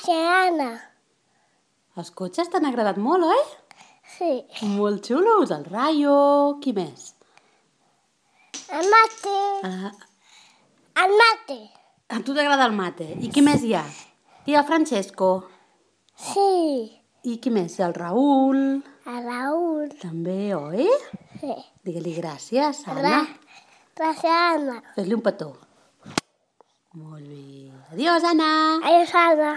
Gràcies, Anna. Els cotxes t'han agradat molt, oi? Sí. Molt xulos. El Rayo. Qui més? El mate. El mate. A tu t'agrada el mate. I qui més hi ha? I el Francesco. Sí. I qui més? El Raül. El Raül. També, oi? Sí. Digue-li gràcies, Anna. Gràcies, Anna. Fes-li un petó. Molt bé. Adiós, Anna. Adiós, Anna.